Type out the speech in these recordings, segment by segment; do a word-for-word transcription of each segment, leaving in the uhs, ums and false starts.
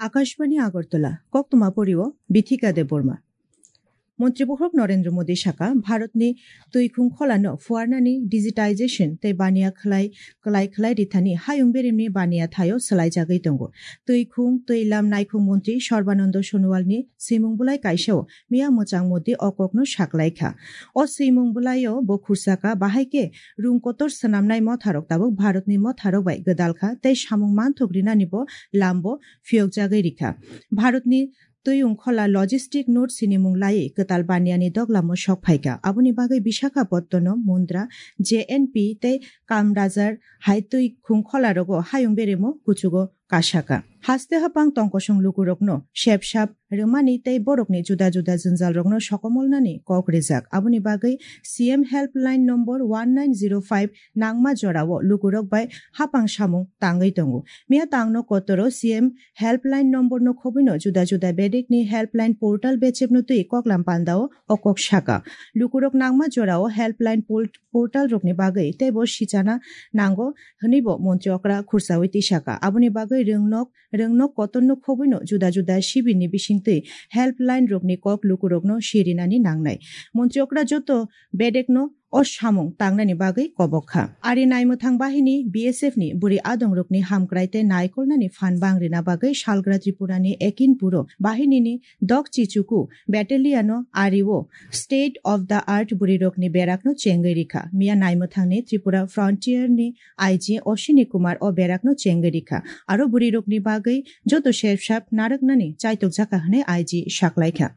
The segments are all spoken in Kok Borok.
Akashbani Agartala, koktwma porio Bithika Debbarma. Montri Bohrok Narendra Modi saka, Bharatni twi khung kholano phuarnani digitization tei baniya khlai, klai khlai rithani hayung berimni baniya thaio swlaijagwi tongo. Twi khung, twi lam naikhung montri Sarbananda Sonowalni swimung bulai kaisao miya mwchang Modi o kokno saklaikha. O swimung bulaio bo khursaka, bahai khe rung kotor swnamnai motharok tabuk Bharatni motharok bai gwdalkha tei samung manthok rinani bo lambo phiyokjagwi rikha. Bharatni twi ungkhola logistic node sinimung laiwi kwtal baniyani doglamo sok phaikha. Aboni bagwi Visakhapatnam, Mundra, J N P tei Kamrajar hai twi khungkhola rogo hayung beremo kuchugo kasaka. Haste hapang tongkosong lukurokno sepsap rwmani tei borokni juda juda jwnjalrokno sokomolnani kok rijak. Aboni bagwi C M helpline number one nine zero five nangma jorao lukurok bai hapang samung tangwi tongo. Miya tangno kotoro C M helpline number no khobwino juda juda bedekni helpline portal bechepno twi koklam pandao o kok saka. Lukurok nangma jorao helpline pol-, portal rokni bagwi teibo sichana nango hwnwibo montri okra khursawi tisaka. Aboni bagwi rwngnok, rwngnok kotorno khobwino juda juda sibirni bisingtwi helpline rokni kok lukurokno sirinani nangnai. Montri okra joto bedekno o samung tangnani bagwi kobok kha. Ari naimwthang bahini B S F ni bwrwi adongrokni hamkrai tei naikolnani phan bang rina bagwi salgra Tripurani Ekinpuro bahinini Dok Chichuku battalion-o ario state of the art bwrwirokni berakno chengwi rikha. Miya naimwthangni Tripura Frontier ni I G Ashwini Kumar o berakno chengwi rikha. Aro bwrwirokni bagwi joto sepsap narwknani chaitokjakha hwnwi I G saklaikha.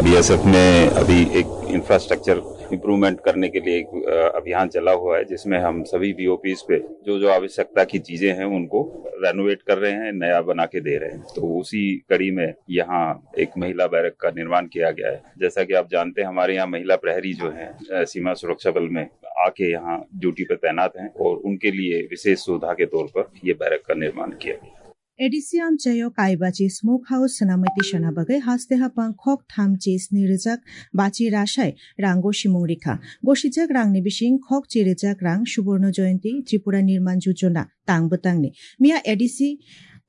BSF ने अभी एक infrastructure improvement करने के लिए एक अ, अभियान चला हुआ है, जिसमें हम सभी बीओपीज पे जो जो आवश्यकता की चीजें हैं उनको रेनोवेट कर रहे हैं, नया बना के दे रहे हैं। तो उसी कड़ी में यहाँ एक महिला बैरक का निर्माण किया गया है। जैसा कि आप जानते हैं, हमारे यहाँ महिला प्रहरी जो हैं अ, सीमा सुरक्षा बल में आके यहाँ ड्यूटी पे तैनात हैं और उनके लिए विशेष सुविधा के तौर पर ये बैरक का निर्माण किया गया है। A D C amchaio kaibachi smoke house swnamwi tisana bagwi haste haphang khok tham chi sni rijak bachi rasai rang gosimung rikha. Gosijak rangni bising khok chi rijak rang Suborno Jayanti, Tripura Nirman Jojona tang bwtangni. Miya A D C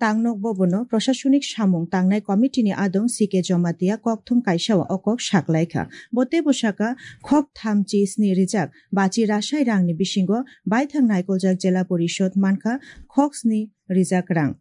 tangnok bobono Prashasonik Samung Tangnai Committee ni adong C K Jamatia kokthum kaisao o kok saklaikha. Bo teibo saka khok tham chi sni rijak bachi rasai rangni bisingo baithang naikoljak Jela Porishod mankha khok sni rijak rang.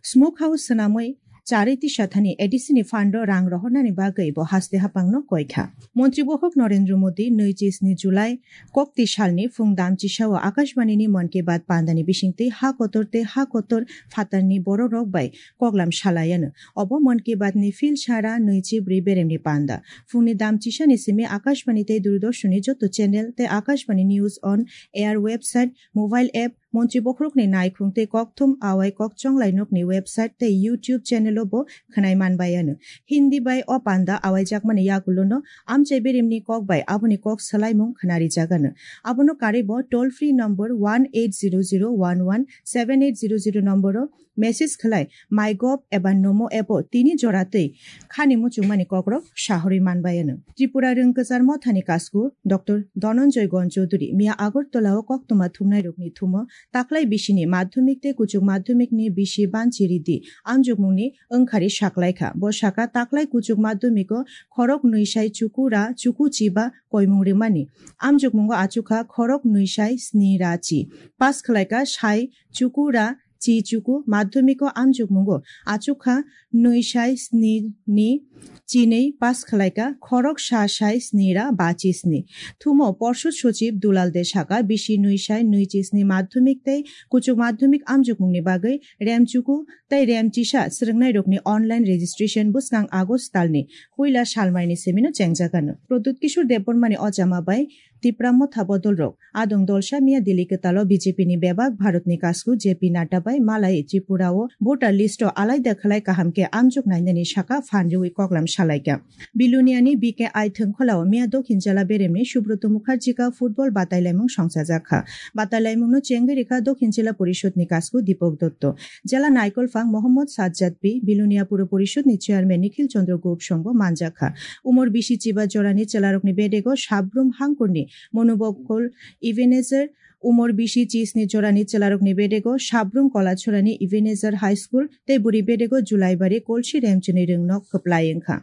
Smoke house swnamwi charwi tisathani A D C ni fund-o rang rohornani bagwi bo haste haphangno koikha. Montri Bohok Narendra Modi nui chi sni July kokti salni phung dam chisao Akashbani ni Mann Ki Baat pandani bisingtwi ha kotor tei ha kotor phatarni bororok bai koklam salaiano. Obo Mann Ki Baat ni phil sara nui chi bwrwi beremni panda. Phungni dam chisani simi Akashbani tei Doordarshan ni joto channel tei Akashbani News on Air website, mobile app, Montri Bokhorokni naikhung tei kokthum awai kok chonglai nokni website tei YouTube channel-o bo khwnai manbai ano. Hindi bai o panda awaijakmani yagulono amchai berimni kok bai aboni kok swlaimung khwnarijak ano. Abono karwi bo toll free number one eight zero zero one one seven eight zero zero number-o message khwlai MyGov eba Namo app-o tini jora twi khani muchungmani kokrok sahorwi manbai ano. Tripura Rwngkwchar Mothani Kasku Doctor Dhananjay Gon Chowdhury miya Agartala-o koktwma thumnairokni thumo taklai bisini madhyamik tei kuchuk madhyamikni bisi banchi ridi amjokmungni wngkhari saklaikha. Bo saka taklai kuchuk madhyamiko khorok nui sai chuku ra chuku chiba koimung rimani. Amjokmungo achukha khorok nui sai sni ra chi. Pass khwlaikha sai chuku ra chi chuku madhyamiko amjokmungo achukha nui sai sni ni chinwi pass khwlaikha khorok sa sai sni ra bachi sni. Thumo Porshod Sochib Dulal De saka bisi nui sai nui chi sni madhyamik tei kuchuk madhyamik amjokmungni bagwi rem chuku tei rem chisa swrwngnairokni online registration bwskang August talni puila salmaini simino chengjagano. Pradyut Kishore Debbarmani ochama bai Tipra Motha bodolrok adong dolsa miya Delhi kwtalo B J P ni bebak Bharatni kasku J P Nadda bai malai Tripura-o voter list-o alaida khwlai kaham khe amjok nainani saka phan rwui koklam salaikha. Biluniani B K I thwngkhwlao miya Dokhin jela beremni Subroto Mukherjee ka football batailaimung songchajakha. Batailaimungno chengwi rikha Dokhin Jela Porishod ni kasku Deepak Dotto. Jela naikolphang Mohammad Sajjad P, Bilonia Puro Porishod ni Chairman Nikhil Chandra Gop songbo manjakha. Umor bisi chiba jorani chelarokni bedego Sabrum Hangkurni Monubokol Ebenezer Umor bisi chisni jorani chwlarokni bedego Sabrum Kolachorani Ebenezer High School tei bwrwi bedego Julaibari Kolsi Remchini rwngnok kwplai wngkha.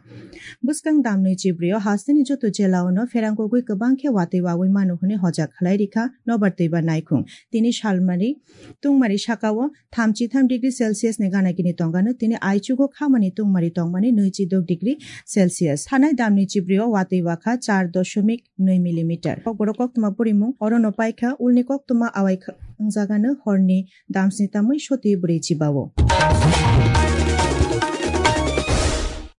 Bwskang damni chibrio hasteni joto jelaono pherangkogwi kwbang khe watwi wawi mano hwnwi hojak khlai rikha nobar twiba naikhung. Tini salmari tungmari sakao thamchi tham degree Celsius ni gana gini tongano, tini aichugo khamani tungmari tongmani nwichi dok degree Celsius. Thanai damni chibrio watwi wakha char doshomik nwi millimeter. Kokborok koktwma purimung orono paikha, ulni koktwma awai kha-, wngjagano horni damsni tamwi soti bwrwi chibao.